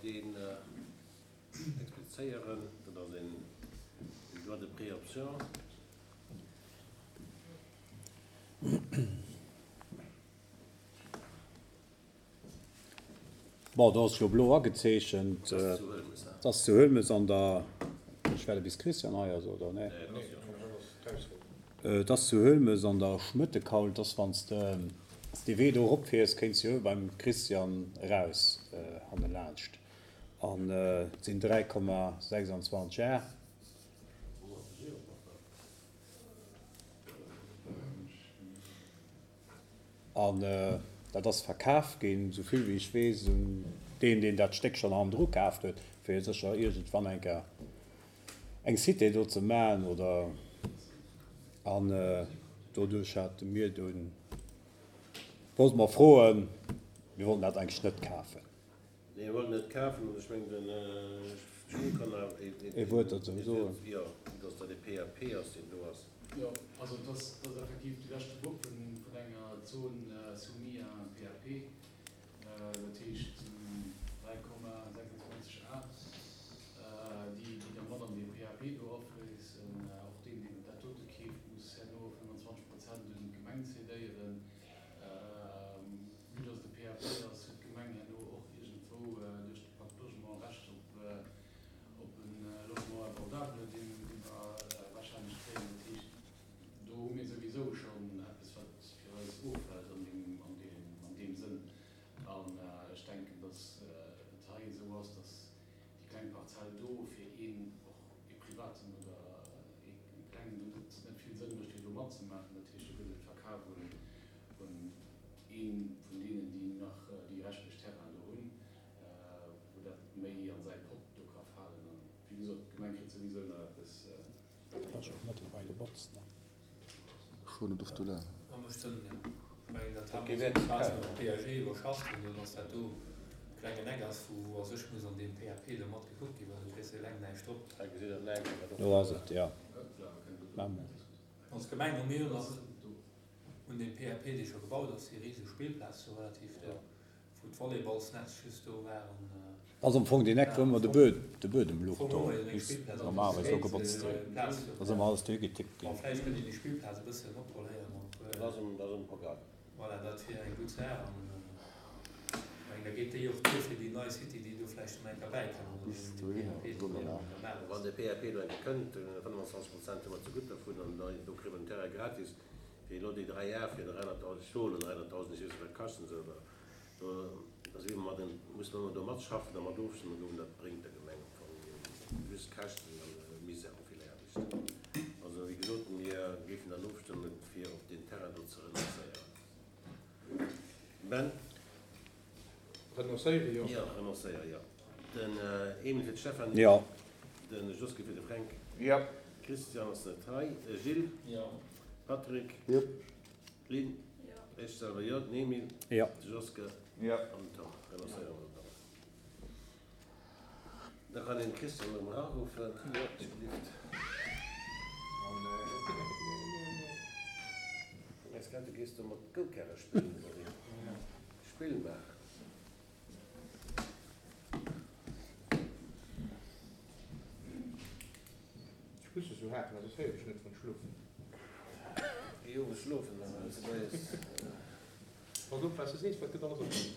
deen explizéieren. Dat ass een Droit de préoption. Bon, do ass jo blo agezeechent. Dat ass zu Huelmes an der, ech werde bis Christian hei ass, oder? Nee. Et ass zu Huelmes an der Schmëttekaul. Et ass, wann s de dee Wee do eropfiers, kéints de jo beim Christian eraus hannelaanscht. An et sinn 3,26 Ar. An dat ass verkaf ginn, esou vill wéi ech weess, un deen, deen dat Stéck schonn hannendru kaaft huet, fir sécher iergendwann eng Kéier eng Cité do ze maachen oder. An doduerch hate mir dunn, wollte mer froen, mir wollten dat eigentlech net kafen. Nee, mir wollten net kafen an ech mengen den Jules kann awer ee Wuert dozou soen. Jo, dass dat e PAP ass, deen do ass. Jo, also et ass effektiv de leschte Bop vun enger Zone soumise à un PAP, dat heescht 3,26 A, déi da mat an dee PAP do afléissen. Och deen, deen dat dote keeft, muss herno 25 Prozent un d'Gemeng cédéieren. Vue dass et e PAP ass, huet d'Gemeng herno och iergendwou duerch de Pacte Logement Recht op e Logement abordable, dee mer warscheinlech kréien. Dat heescht, do hu mir souwisou schonn eppes, wat fir eis offält an deem Sënn. An ech denken, dass et hei esou ass, dass déi kleng Parzell do fir een, och ee Privaten oder ee Klengen do net vill Sënn mécht, fir do matzemaachen. Dat heescht, do gëtt et Verkaf un ee vun deenen, déi nach déi reschtlech Terrainen do hunn, wou dat méi an säi Pott do ka falen. An wéi gesot, d'Gemeng kritt souwisou nach eppes. Dat ass och mëttlerweil gebotzt, ne? Schon et of de là. Wa mécht Sënn, jo. Ech mengen, dat hat mer sou quasi mam PAG iwwerschafft, an dann ass dat do e klengen Eck ass, wou wou a sech muss an deem PAP do mat gekuckt ginn, well do kriss de eleng näischt drop. Hei gesitt Der den Eck, wat Do ass et, jo. Als Gemeng hu mir jo nach un deem PAP, dee scho gebaut ass, déi riseg Spillplaz do relativ do, wou d'Volleyballsnetz just do war an. Ass am Fong deen Eck wou ëmmer de Buedem luch do muss normalerweis do gebotzt ginn. Ass ëmmer alles do higetippt ginn. Vläicht kënnt een déi Spillplaz e bëssen oproléieren op. Dat ass um Programm. Voilà, dat wier eng gutt Saach an ech mengen da geet déi och duer fir déi nei City, déi do vläicht nach eng Kéier bäikënnt an deem PAP do deen an der Maach ass. Wann de PAP do eng Kéier kënnt, 25 Prozent hu mer zegutt dervun an do kréie mer den Terrain gratis. Fir elo déi 3 Ar fir 300.000, ech soen elo 300.000, ech weess net wat kaschten se, oder do da si mer mat en, musse mer ëmmer do matschaffen a mat ofstëmmen goen, dat bréngt der Gemeng am Fong just Käschten an Misär a vill Aarbecht. Also wéi gesot, mir géifen dann ofstëmmen, fir op deen Terrain do ze renoncéieren. Ben? Renoncéiere jo. Jo, renoncéiere jo. Den Emil fir d'Stéphanie. Jo. De Josky fir de Fränk. Jo. Christian ass net hei. Gilles. Jo. Patrick. Jo. D'Lynn. Jo. Ech selwer jo. Den Emil. Jo. De Joske. Jo. An den Tom. Renoncéiere mer dann. Da kann een de Christian erëm eraruffen. Jo. Ech grad, du gees do mat Goukärre spillen, oder wéi? Spill maachen. Ech muss esou haken, soss héieren ech net vun schlofen. Géi owes schlofen, dann hues de moies. Pass op wat s de sees, dat gëtt alles opgeholl.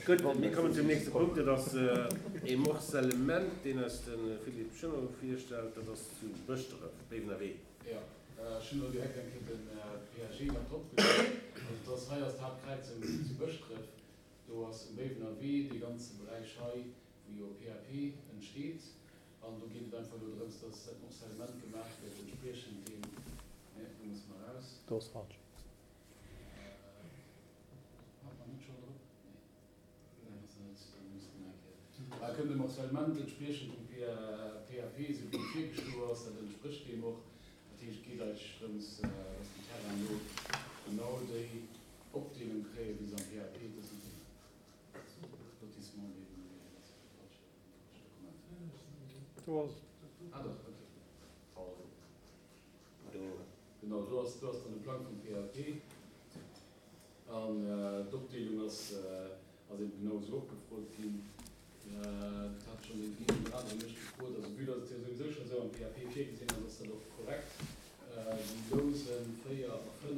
Gutt, mir kommen zum nächste Punkt. Dat ass e Morcellement, deen eis de Philippe Schöno virstellt. Dat ass zu Bëschdref, Béiwener Wee. Jo, ech hunn elo direkt eng Kéier den PAG mat drop gesat. Also et ass, hei ass d'Haaptkräizung zu Bëschdref. Do ass um Béiwener Wee dee ganze Beräich hei, wou jo PAP entsteet. An do geet et einfach elo drëms, dass dat Morcellement gemaach gëtt entspriechend deem, nee, do musse mer eraus. Do ass falsch. Hat mer net scho drop? Nee. Nee, ass net. Da musse mer eng Kéier. Da kënnt e Morcellement entspriechend dem PAP, esou wéi e virgeschloe ass. Dat entsprécht deem och. Dat heescht, et geet eigentlech drëms, dass déi Terrainen do genau déi Opdeelung kréien, wéi se am PAP, dat ass net deen Lotissement, deen, nee, dat ass e falsche, falscht Dokument. Do ass et. Ah, dach, okay. Do. Genau, do ass, do ass dann de Plang vum PAP. An d'Opdeelung ass, ass eben genau esou opgefrot ginn. Dat hat schonn deen een oder anere mech gefrot. Also vue dass et jo souwisou scho esou am PAP virgesinn ass, ass dat och korrekt. Déi Lousen 4 a 5,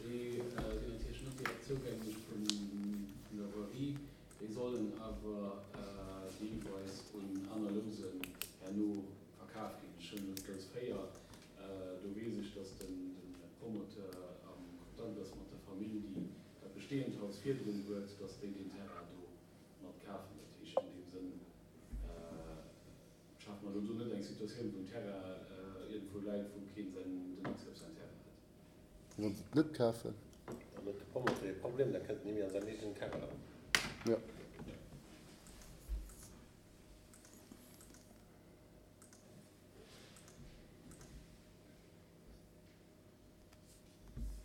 déi sinn natierlech net direkt zougänglech vun der Voirie. Déi sollen awer deelweis un aner Lousen herno verkaf ginn. Ech hunn elo d'Lous 4, do weess ech, dass de Promoteur am Kontakt ass mat der Famill, déi dat bestehend Haus virdrun huet, dass déi deen Terrain do mat kafen. Dat heescht, an deem Sënn schafe mer elo do net eng Situatioun, wou en Terrain iergendwou läit, wou keen den Accès op säin Terrain huet. Wann se et net kafen. Dann huet de Promoteur e Problem, da kënnt en ni méi an säin eegenen Terrain eran. Jo.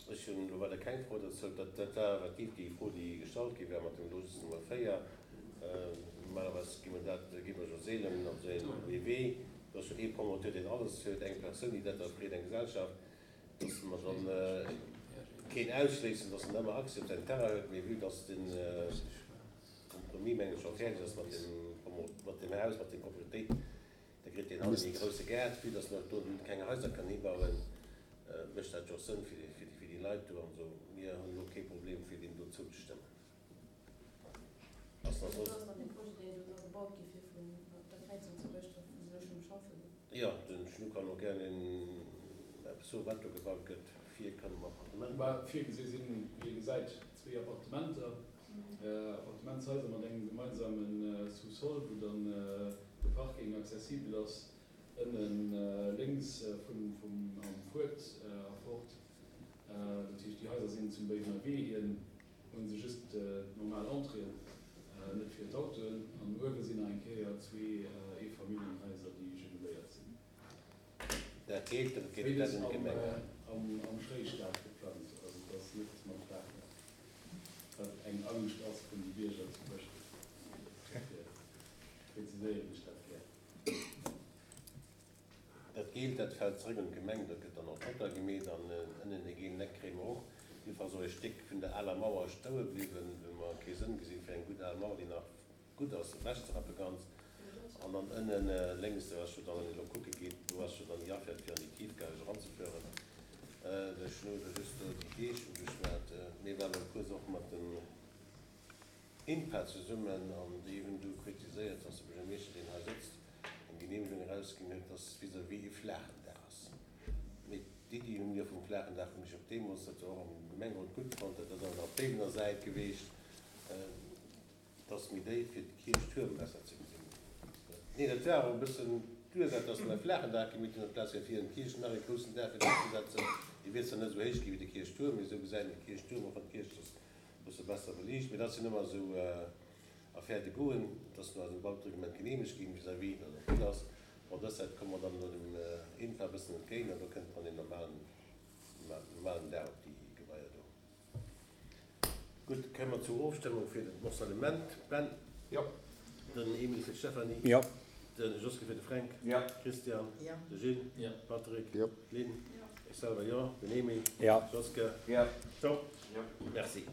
Ech hunn elo weider keng Fro dozou. Dat dat war effektiv déi Fro, déi gestallt gi war mat dem Logis Nummer 4. Normalerweis gi mer dat, gi mer jo seelen op esou een ee Wee. Do ass jo ee Promoteur, deen alles huet, eng Persoun, déi dat da freet, eng Gesellschaft, dass mer dann keen ausschléissen, dass en ëmmer Accès op säin Terrain huet. Mee vue dass de Compromis, mengen ech, scho fäerdeg ass mat dem Promo, mat dem Haus, mat der Propriétéit, Da kritt deen hannen ee grousse Gaart. Vue dass mer do keng Haiser kënnen hibauen, mécht dat jo och Sënn fir déi Leit do an esou. Mir hunn elo kee Problem fir deem do zouzestëmmen. Ass nach soss? Jo, den Schnu kann och gär een eppes soen, wat do gebaut gëtt. Vir kënne mer Appartementer. Virgesi sinn, wéi ee gesäit, zwee Appartementer. Appartementshaiser mat engem gemeinsame Sous-sol, wou dann de Parking accessibel ass, ënnen lénks vum am Fuert erfort. Dat heescht, déi Haiser sinn zum Béiwener Wee hin, hu se just d'normal Entréeën, net fir d'Autoen. An uewe sinn nach eng Kéier zwee Eefamilljenhaiser, déi jumeléiert sinn. Dat geet, dat geet dat un d'Gemeng. Am Schréistaat geplangt, also et ass net mam Flachdach, wat eng Angscht ass vun de Bierger zu Bëschdref. Dofir preziséieren ech dat gär. Dat Geelt, dat fält zrëck un d'Gemeng, dat gëtt dann och trottoir gemeet an ënnen dee geelen Eck kréie mer och. Jiddefalls och e Stéck vun der aler Mauer stoue bliwwen, wou mer kee Sënn gesinn fir eng gutt al Mauer, déi nach Gutt ass ewech ze rappe ganz. An dann ënnen lénks, do ass jo dann, wann een elo kucke geet, do ass jo dann déi Affaire fir an déi Tiefgarage eranzefueren. Ech hunn elo just do déi Deeg ugeschwat. Mir waren elo kuerz och mat dem INPA zesummen an déi hunn du kritiséiert, dass de Buergermeeschter, deen hei sëtzt, eng Genehmegung erausginn huet, dass vis-à-vis e flaachen Daach ass. Mee d'Iddi hu mir vum flaachen Daach hunn ech och deemools, dat war och am Gemengerot gutt fonnt, dat ass awer nach op Béiwener Säit geweecht. Et ass méi déif fir de Kierchtuerm besser ze gesinn. Nee, dat war och e bëssen d'Ursaach, dass mer e flaachen Daach gemeet hunn amplaz fir vir an d'Kierch nach e groussen Daach fir drop ze setzen. Dee wier zwar net esou héich gi wéi de Kierchtuerm, mee esou gesäit een de Kierchtuerm, och wann d'Kierch ass e bësse besser beliicht. Mee dat sinn ëmmer esou Affaires de goût. Et ass no eisem Bautereglement geneemegt ginn, vis-à-vis dat och gutt ass. Bon, dës Säit komme mer dann elo dem INPA e bëssen entgéint an do kënnt dann een normalen, normalen Daach op déi Gebaier do. Gutt, kéime mer zur Ofstëmmung fir den Morcellement. Ben? Jo. Den Emile fir d'Stéphanie? Jo. De Josquin fir de Fränk? Jo. Christian? Jo. De Gilles? Jo. Patrick? Jo. Lynn? Jo. Ech selwer jo. Den Emile? Jo. Josquin? Jo. Top. Jo. Merci.